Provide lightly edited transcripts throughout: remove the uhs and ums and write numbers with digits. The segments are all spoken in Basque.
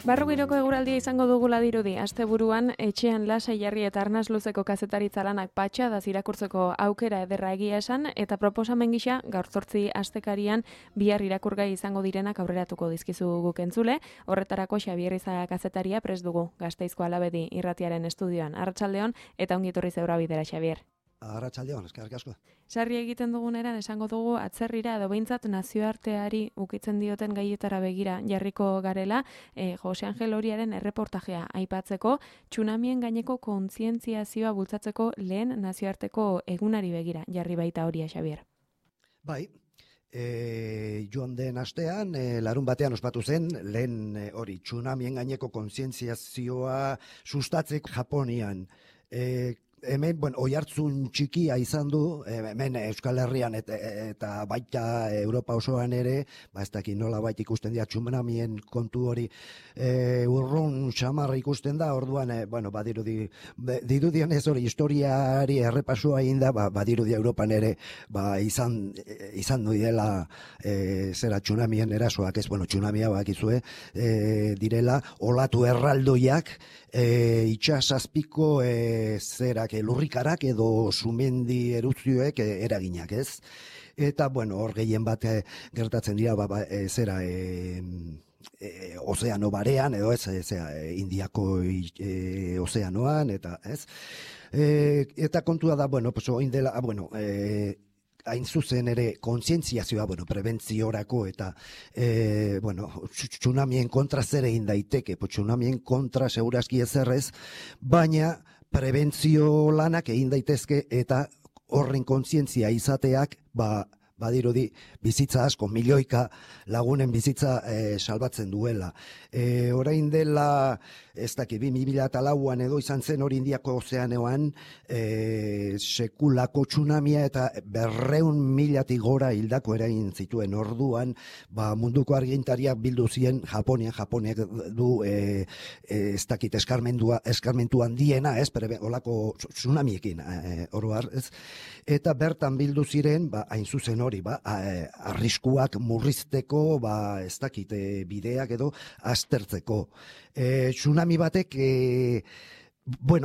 Barrugiroko eguraldia izango dugula dirudi, asteburuan etxean lasai jarri eta arnaz luzeko kazetaritza lanak patxadaz irakurtzeko aukera ederra egia esan, eta proposamen gisa gaur 8 astekarian bihar irakurgai izango direnak aurreratuko dizkizu guk entzule. Horretarako Xabier Iza kazetaria prest dugu Gasteizko Alabedi irratiaren estudioan. Arratsaldeon eta ongi etorri zeura bidera, Xabier. Arratsaldeon, eskerrik asko. Sarri egiten duguneran esango dugu atzerrira edo behintzat nazioarteari ukitzen dioten gaietara begira jarriko garela, Jose Angel Oriaren erreportajea aipatzeko, tsunamien gaineko kontzientziazioa bultzatzeko lehen nazioarteko egunari begira jarri baita Oria, Xabier. Bai, joan den astean, larun batean ospatu zen, lehen hori tsunamien gaineko kontzientziazioa sustatzeko Japonian. Hemen, oihartzun txikia izan du, hemen Euskal Herrian eta baita Europa osoan ere, ez dakit nola baita ikusten dira tsunamien kontu hori urrun xamarra ikusten da, orduan, dirudien ez hori historiari errepasua egin da, badirudi Europan ere, izan du dela zera tsunamien erasoak, tsunamia bakizue, direla, olatu erraldoiak, itxasazpiko zerak lurrikarak edo sumendi erupzioek eraginak, ez? Eta, hor gehien bat gertatzen dira, ozeano barean, edo ez, Indiako ozeanoan, eta ez? Eta kontua da, oin dela, hain zuzen ere kontzientziazioa, prebentziorako eta tsunamien kontra zer egin daiteke, tsunamien kontra segurazki ezerrez, baina prebentzio lanak egin daitezke eta horren kontzientzia izateak, badirudi bizitza asko, milioika lagunen bizitza salbatzen duela. Orain dela, ez dakit, 2004an edo izan zen hori Indiako ozeanoan sekulako tsunamia eta 200.000 gora hildako eragin zituen. Orduan, munduko argintariak bildu zien Japoniak du ez dakit eskarmentu handiena, ez, olako tsunamiekin, oroar, ez, eta bertan bildu ziren, hain zuzen hori, arriskuak murrizteko, ez dakit, bideak edo aztertzeko. Tsunami batek,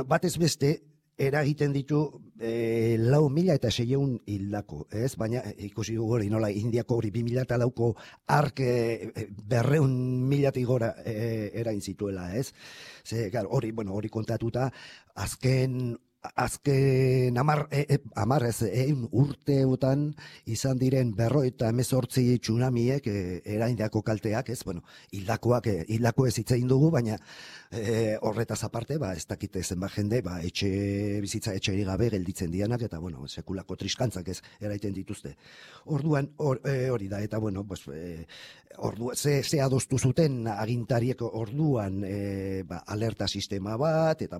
batez beste, eragiten ditu 4.600 hildako, ez? Baina ikusi hori nola Indiako hori 2004ko ark 200.000 gora eragin zituela, ez? Hori kontatuta, azken urteotan izan diren 58 tsunamiek eraindako kalteak, ez? Hildako ez hitzein dugu, baina horretaz aparte, ez dakite zenbat jende, etxe gabe gelditzen dianak, eta, sekulako triskantzak ez eraiten dituzte. Orduan, hori da, eta, ze adostu zuten agintariek orduan alerta sistema bat, eta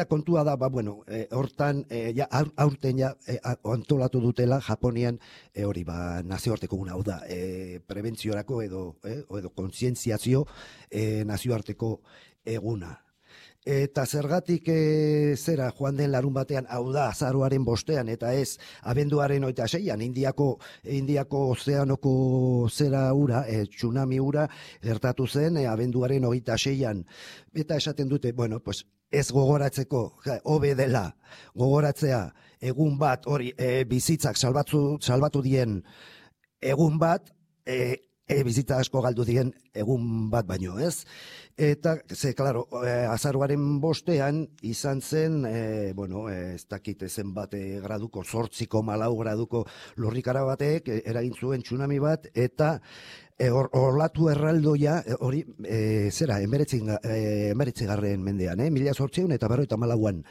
kontua da, hortan, aurten antolatu dutela Japonian, hori, nazioarteko guna, hau da, prebentziorako edo kontzientziazio nazioarteko eguna. Eta zergatik zera joan den larun batean, hau da, azaroaren 5 eta ez abenduaren 26an, Indiako ozeanoko zera ura, tsunami ura, gertatu zen abenduaren 26an. Eta esaten dute, ez gogoratzeko, hobe dela gogoratzea egun bat, hori bizitzak salbatu dien egun bat, bizitza asko galdu dien egun bat baino, ez? Eta, klaro, azaroaren 5an izan zen, ez dakit zenbat graduko, 8,4 graduko lurrikara batek eragin zuen tsunami bat, eta olatu erraldoia, hori, 19. mendean, 1894an.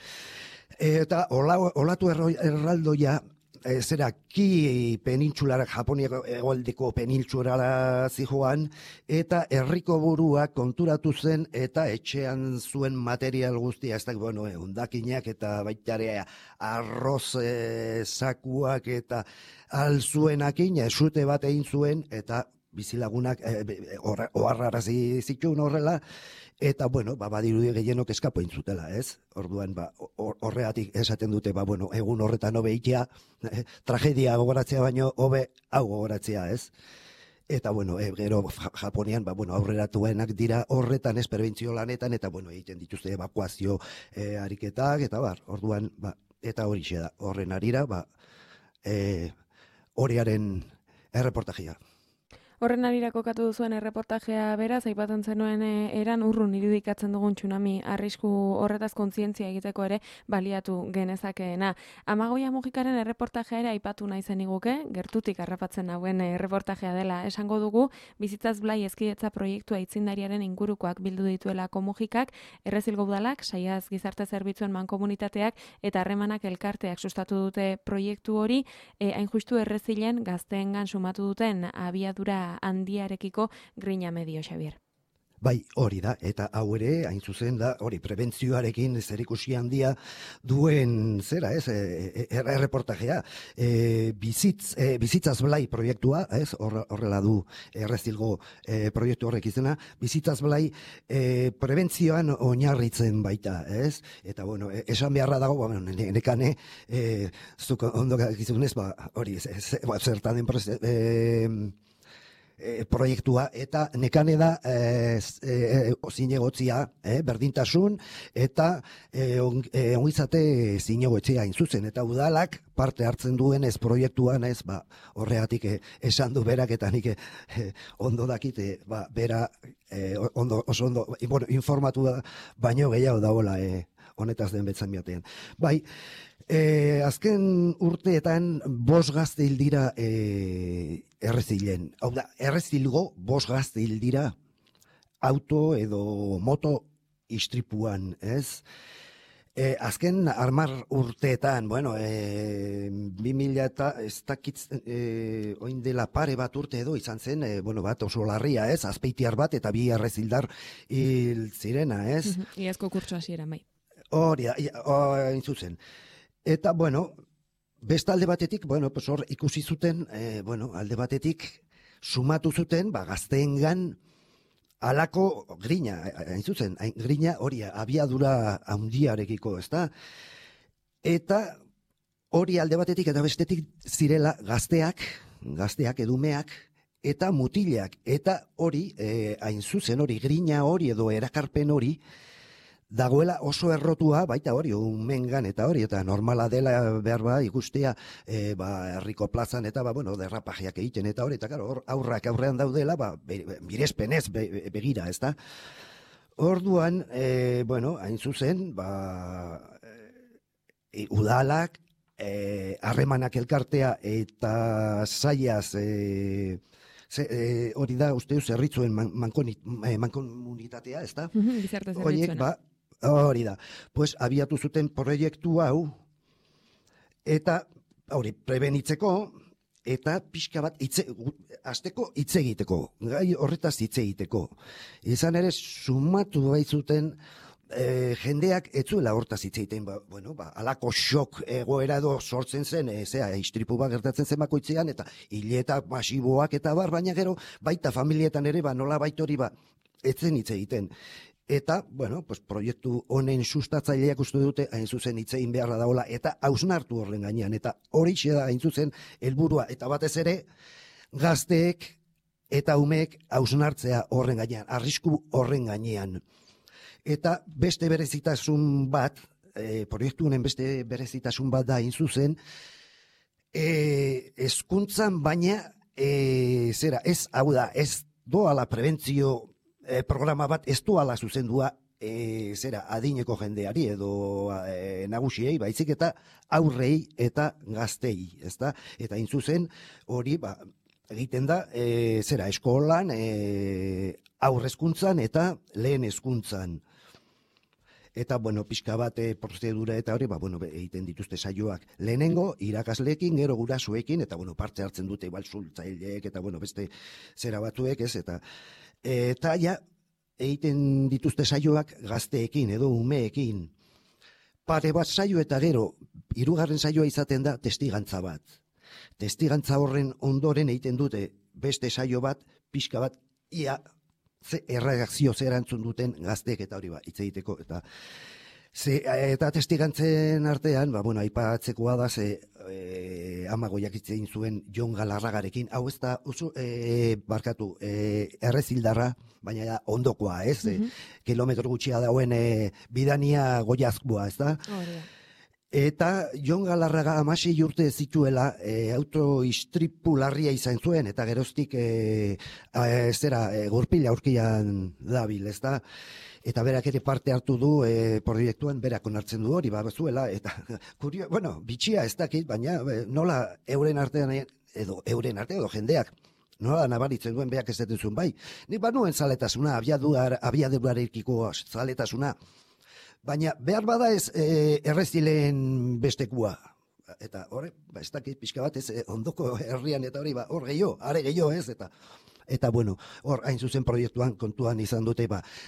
Eta olatu erraldoia, ki penintsulara, Japoniako hegoaldeko penintsulara zijoan, eta herriko buruak konturatu zen, eta etxean zuen material guztia, ez da, hondakinak eta baitare arroz sakuak eta alzuenakin, esute bat egin zuen, eta bizilagunak oharrarazi zituen horrela, eta, badirudi gehienok eskapo intzutela, ez? Orduan, horregatik esaten dute, egun horretan hobe itea, tragedia gogoratzea baino, hobe hau gogoratzea, ez? Eta, bueno, gero Japonian, aurreratuenak dira horretan, prebentzio lanetan, eta, egiten dituzte evakuazio ariketak, eta orduan, eta horixe da, horren arira, horiaren erreportajea. Horren arira kokatu duzuen erreportajea beraz, aipatzen zenuen eran urrun irudikatzen dugun tsunami arrisku horretaz kontzientzia egiteko ere baliatu genezakeena. Amagoia Mujikaren erreportajea ere aipatu nahi zeniguke, gertutik harrapatzen nauen erreportajea dela esango dugu, Bizitzaz Blai Hezkidetza proiektua aitzindariaren ingurukoak bildu dituelako Mujikak, Errezilgo Udalak, Saiaz Gizarte Zerbitzuen Mankomunitateak eta Harremanak Elkarteak sustatu dute proiektu hori, hain justu Errezilen gazteengan sumatu duten abiadura handiarekiko grina medio, Xabier. Bai, hori da, eta hau ere, hain zuzen da, hori, prebentzioarekin zerikusi handia duen, zera, erreportajea, Bizitzaz Blai proiektua, horrela du Errezilgo proiektu horrek izena, Bizitzaz Blai prebentzioan oinarritzen baita, Eta, esan beharra dago, nekane, zuk ondo gizunez, hori, zertan den proiektua, eta nekane da zinegotzia, berdintasun, eta ongizate zinegotzia zuzen, eta udalak parte hartzen duen proiektuan, horregatik esan du berak, eta nik ondo dakit, bera oso ondo informatu da, baino gehiago dagoela honetaz den betzan batean. Bai, azken urteetan 5 gazte hil dira Errezilen. Hau da, Errezilgo 5 gazte hil dira auto edo moto istripuan, azken 10 urteetan, 2000 eta ez dakit oin dela pare bat urte edo izan zen, bat oso larria, Azpeitiar bat eta 2 errezildar hil zirena, Iazko kurtso hasiera, bai. Hori da, hain zuzen. Eta, beste alde batetik, hor ikusi zuten, alde batetik sumatu zuten, gazteengan alako grina, hain zuzen, grina hori abiadura handiarekiko, ezta? Eta hori alde batetik eta bestetik zirela gazteak edumeak, eta mutilak, eta hori, hain zuzen hori, grina hori edo erakarpen hori, dagoela oso errotua, baita hori, umengan eta hori, eta normala dela behar ikustea, herriko plazan eta, derrapajeak egiten eta hori, eta hor aurrak aurrean daudela, mirespenez begira, ez da? Orduan, hain zuzen, udalak, Harremanak Elkartea eta Saiaz, hori da, uste zerritzuen mankomunitatea, ez da? Gizarte zerbitzuena. Hori da. Pues abiatu zuten proiektu hau, eta hori prebenitzeko, eta pixka bat hasteko hitz egiteko, gai horretaz hitz egiteko. Izan ere, sumatu baitzuten jendeak etzuela hortaz hitz egiten, alako xok egoera edo sortzen zen, istripu bat gertatzen zen bakoitzean, eta hileta masiboak eta baina gero, baita familietan ere, nola baitori etzen hitz egiten. Eta, proiektu honen sustatzaileak uste dute, hain zuzen hitzein beharra dagoela, eta hausnartu horren gainean, eta hori da hain zuzen helburua, eta batez ere, gazteek eta umeek hausnartzea horren gainean, arrisku horren gainean. Eta beste berezitasun bat, proiektu honen beste berezitasun bat da hain zuzen, hezkuntzan baina, ez doala prebentzio programa bat ez duala zuzendua adineko jendeari edo nagusiei, baizik eta aurrei eta gaztei, ezta? Eta hain zuzen hori egiten da eskolan, aurrezkuntzan eta lehen hezkuntzan. Eta, pixka bat prozedura eta hori, egiten dituzte saioak. Lehenengo, irakasleekin, gero gurasoekin, eta, parte hartzen dute, zultzaileek, eta, beste zera batzuek, ez, eta ja, egiten dituzte saioak gazteekin edo umeekin. Pare bat saio eta gero, 3. saioa izaten da testigantza bat. Testigantza horren ondoren egiten dute beste saio bat, pixka bat, ia erreakzio zer antzun duten gazteek eta hori hitz egiteko. Eta Eta testigantzen artean, bueno, aipatzekoa da, amagoiak itzein zuen Jon Galarragarekin, hau ez da, barkatu, Errezildarra, baina ondokoa, ez? Kilometro gutxia dauen bidania Goiazkoa, ez da? Eta Jon Galarraga 16 urte zituela autoistripu larria izan zuen, eta geroztik gurpila aurkian dabil, ez da? Eta berak ere parte hartu du proiektuan, berak onartzen du hori, zuela, eta bitxia ez dakit, baina nola euren artean edo jendeak, nola nabaritzen duen berak ez dutuzun bai. Nik banuen zaletasuna, abiadurarekiko zaletasuna, baina behar bada ez Errezilen bestekua. Eta horre, ez dakit pixka bat ez ondoko herrian eta hori, hor are gehiago ez, eta bueno, hor hain zuzen proiektuan kontuan izan dute,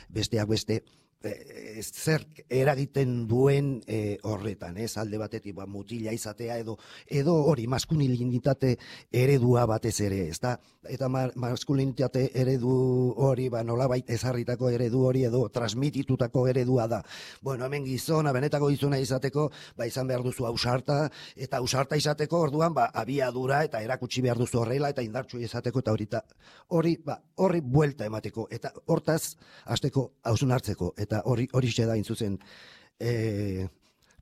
besteak beste, zer eragiten duen horretan, ez alde batetik mutila izatea edo hori maskulinitate eredua batez ere, ez da? Eta maskulinitate eredu hori nolabait ezarritako eredu hori edo transmititutako eredua da. Bueno, hemen gizona, benetako gizona izateko, izan behar duzu ausarta, eta ausarta izateko orduan abiadura eta erakutsi behar duzu horrela eta indartsu izateko eta horri buelta emateko eta hortaz hasteko hausnartzeko eta hori da intzuzen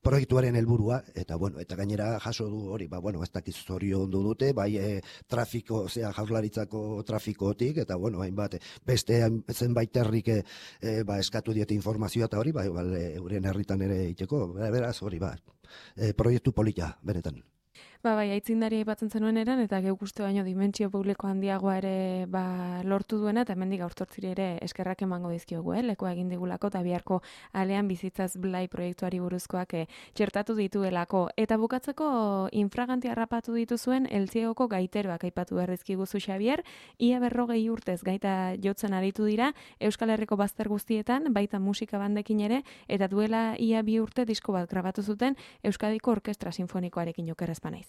proiektuaren helburua eta gainera jaso du hori, ez dakiz zoriondu dute, trafiko, Jaurlaritzako trafikotik eta hainbat beste zenbait herrik eskatu diete informazioa eta hori, euren herritan ere iteko, beraz hori proiektu polita, benetan. Aitzindari aipatzen zenuen eran, eta geuk uste baino dimentsio publiko handiagoa ere lortu duena, eta hemendik gaurtortziri ere eskerrak emango dizkiogu, lekoa egin digulako, eta biharko alean bizitzaz blai proiektuari buruzkoak txertatu dituelako. Eta bukatzeko infraganti harrapatu dituzuen Eltziegoko gaiteroak aipatu berrizkiguzu Xabier, ia 40 urtez gaita jotzen aritu dira, Euskal Herriko bazter guztietan, baita musika bandekin ere, eta duela ia 2 urte disko bat grabatu zuten Euskadiko Orkestra Sinfonikoarekin okerrez banaiz.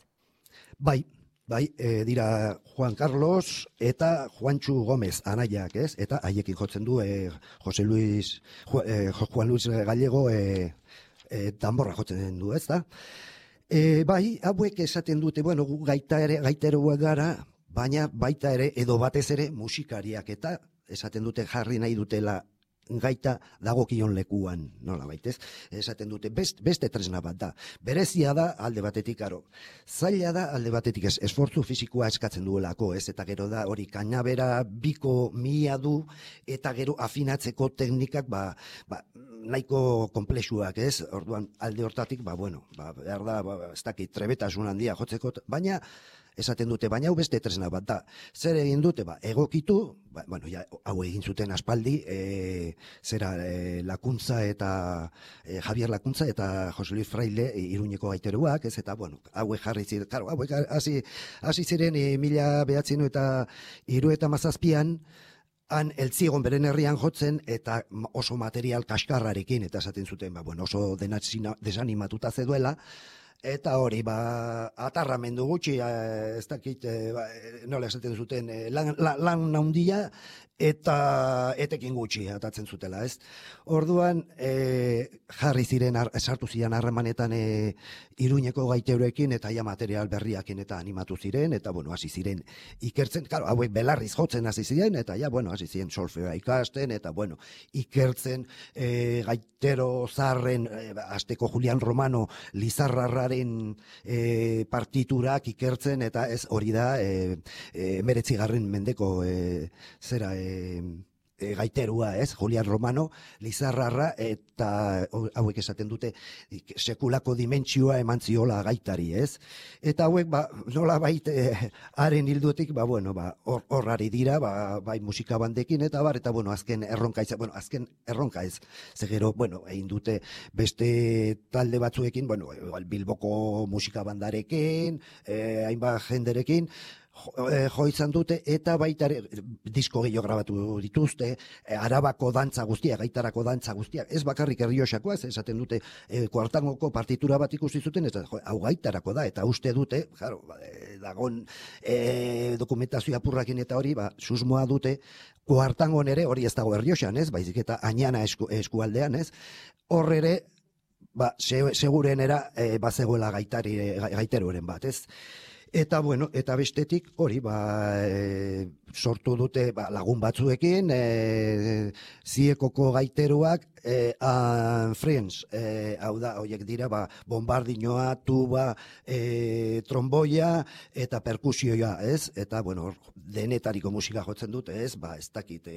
Dira Juan Carlos eta Juantxu Gomez anaiak, ez? Eta haiekin jotzen du Juan Luis Gallego danborra jotzen du, ez da? Hauek esaten dute, gu gaiteroak gara, baina baita ere, edo batez ere musikariak, eta esaten dute jarri nahi dutela gaita dagokion lekuan, nola baitez, esaten dute beste tresna bat da. Berezia da alde batetik, zaila da alde batetik esfortzu fisikoa eskatzen duelako, ez, eta gero da hori kainabera biko mila du, eta gero afinatzeko teknikak nahiko komplexuak, ez, orduan alde hortatik, behar da, ez dakit, trebetasun handia jotzeko, baina esaten dute, baina hau beste tresna bat da. Zer egin dute, egokitu, hau egin zuten aspaldi, Lakuntza eta Javier Lakuntza eta Jose Luis Fraile Iruñeko gaiteruak, ez, eta hauek jarri ziren, hauek hasi ziren 1977an, han Eltziegon beren herrian jotzen eta oso material kaskarrarekin, eta esaten zuten, oso desanimatuta zeduela, eta hori, atarramendu gutxi, ez dakit, nola esaten zuten, lan handia eta etekin gutxi atatzen zutela, ez? Orduan, jarri ziren, sartu ziren harremanetan Iruñeko gaiteroekin eta material berriakin eta animatu ziren, eta, hasi ziren ikertzen, hauek belarriz jotzen hasi ziren, eta, hasi ziren solfeoa ikasten, eta, ikertzen gaitero zarren, azteko Julian Romano Lizarrarraren partiturak ikertzen, eta ez hori da 19. mendeko gaiterua, ez, Julian Romano, Lizarrarra, eta hauek esaten dute sekulako dimentsioa eman ziola gaitari, ez? Eta hauek, nola haren hilduetik, horrari dira, bai musika bandekin, eta azken erronka ez, zegero, egin dute beste talde batzuekin, Bilboko musika bandarekin, hainbat jenderekin, jo izan dute, eta baita disko gehiago grabatu dituzte, Arabako dantza guztiak, gaitarako dantza guztiak, ez bakarrik Errioxakoa, esaten dute kuartangoko partitura bat ikusi zuten, ez hau gaitarako da, eta uste dute, dagon dokumentazioa apurrakin eta hori, susmoa dute, kuartangon ere hori ez dago Errioxan, ez, baizik eta Añana eskualdean, ez, hor ere segurenera bazegoela gaiteroren bat, ez? Eta bueno, eta bestetik hori sortu dute lagun batzuekin, ziekoko gaiteruak friends, hau da, horiek dira bombardinoa, tuba, tromboia eta perkusioa, ez? Eta bueno, denetariko musika jotzen dute, ez? Ez dakit,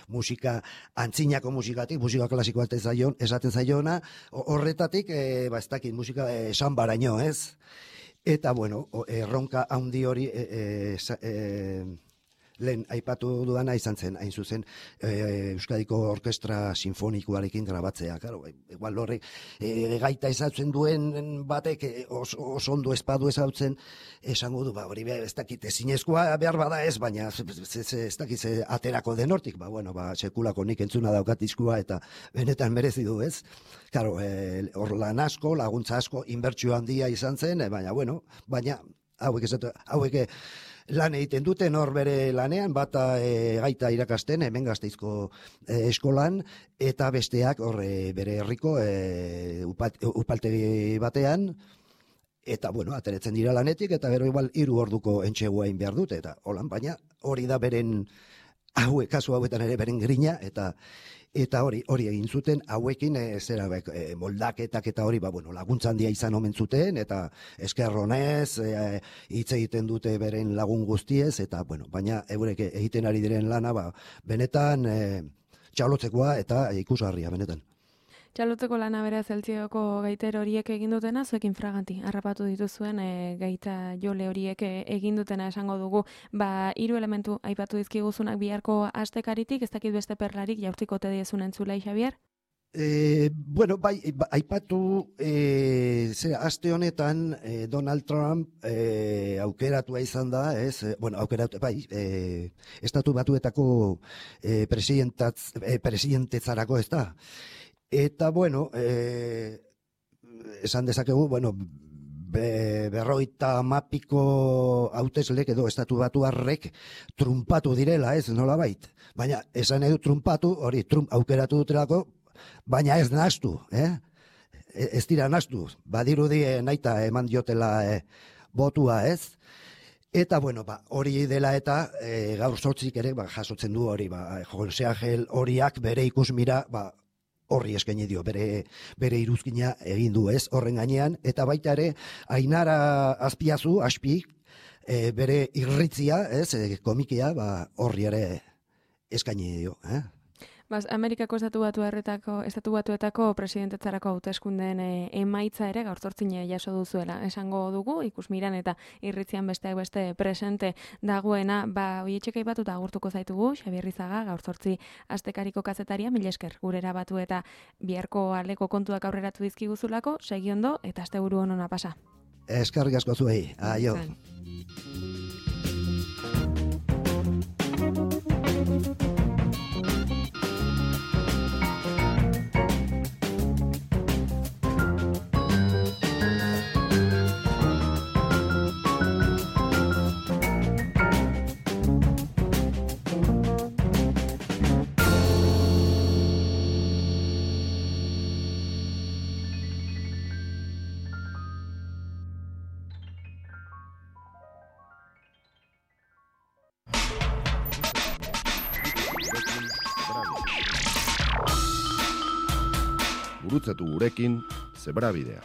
musika antzinako musikatik, musika klasikoa esaten zaiona, horretatik, ez dakit, musika esan baraino, ez? Eta, bueno, erronka handi hori lehen aipatu dudana izan zen, hain zuzen, Euskadiko Orkestra Sinfonikoarekin grabatzea. Claro, igual horrek gaita ezautzen duen batek oso ondo espadu ezautzen, esango du, hori ez dakit ezinezkoa behar bada ez, baina ez dakit aterako denortik, sekulako nik entzuna daukat diskua eta benetan merezi du, ez? Claro, hor lan asko, laguntza asko, inbertsio handia izan zen, baina hauek lan egiten duten hor bere lanean, bata gaita irakasten, hemen Gasteizko eskolan, eta besteak hor bere herriko upaltegi batean, eta bueno, ateretzen dira lanetik, eta gero igual 3 orduko entxegua egin behar dute, eta holan, baina hori da beren, kasu hauetan ere beren grina, eta hori egin zuten, hauekin moldaketak eta hori, laguntza handia izan omen zuten, eta eskerronez, hitz egiten dute beren lagun guztiez, eta baina eurek egiten ari diren lana, benetan txalotzekoa eta ikusgarria, benetan. Txalotzeko lana bera Zeltzioko gaiter horiek egin dutena, zuekin fraganti, harrapatu dituzuen gaita jole horiek egin dutena esango dugu. 3 elementu aipatu dizkiguzunak biharko astekaritik, ez dakit beste perlarik jaurtiko tediezun entzulei, Xabier? Aipatu aste honetan Donald Trump aukeratua izan da, ez? Estatu Batuetako presidentetzarako, ez da? Eta, esan dezakegu, 50 hauteslek edo estatu batuarrek trumpatu direla, ez, nolabait. Baina, esan edu trumpatu, hori, Trump aukeratu dutelako, baina ez nahastu, ez dira nahastu. Badirudi naita eman diotela botua, ez? Eta, hori dela eta gaur 8 ere jasotzen du hori, Jose Angel horiak bere ikusmira, horri eskaini dio, bere iruzkina egin du, ez, horren gainean, eta baita ere, Ainara Azpiazu, bere irritzia, ez, komikia, horri ere eskaini dio, Amerikako estatu batuetako presidentetzarako hauteskundeen emaitza ere gaur 8 jaso duzuela. Esango dugu, ikusmiran eta irritzian besteak beste presente dagoena, hoietxek aipatuta agurtuko zaitugu, Xabier Rizaga, gaur 8 astekariko kazetaria, mila esker, gurera batu eta biharko aldeko kontuak aurreratu dizkiguzulako, segi ondo eta asteburu onona pasa. Eskerrik asko zuei, aio. Gurutzatu gurekin Zebrabidea.